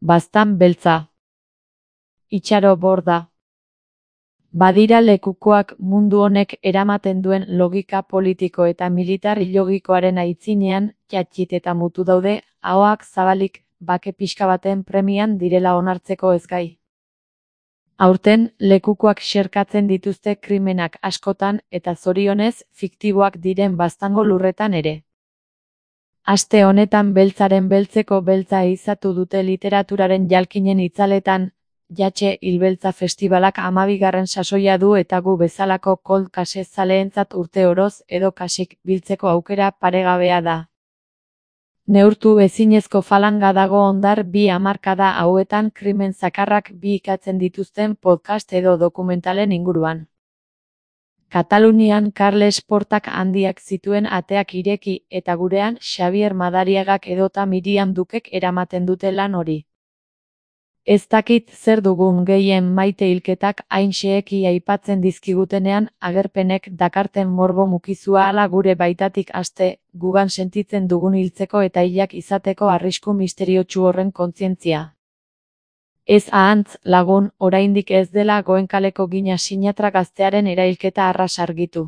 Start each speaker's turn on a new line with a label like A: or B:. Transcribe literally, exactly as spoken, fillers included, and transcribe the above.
A: Baztan beltza. Itxaro borda. Badira lekukoak mundu honek eramaten duen logika politiko eta militar logikoaren aitzinean, txatxit eta mutu daude, ahoak zabalik, bake pixka baten premian direla onartzeko ezgai. Aurten, lekukoak xerkatzen dituzte krimenak askotan eta zorionez, fiktiboak diren Baztango lurretan ere. Aste honetan beltzaren beltzeko beltza izatu dute literaturaren jalkinen itzaletan, Jatxe Hilbeltza Festibalak hamabigarren sasoia du eta gu bezalako cold case zaleentzat urte oroz edo kasik biltzeko aukera paregabea da. Neurtu ezinezko falanga dago hondar bi hamarkada hauetan krimen zakarrak bi ikatzen dituzten podcast edo dokumentalen inguruan. Katalunian Carles Portak handiak zituen ateak ireki eta gurean Xabier Madariagak edota Miriam Dukek eramaten dute lan hori. Ez dakit zer dugun gehien maite hilketak hain xeheki aipatzen dizkigutenean agerpenek dakarten morbo mukizua ala gure baitatik aste, gugan sentitzen dugun hiltzeko eta hilak izateko arrisku misteriotsu horren kontzientzia. Ez ahantz, lagun, oraindik ez dela Goenkaleko Gina sinatra gaztearen erailketa arras argitu.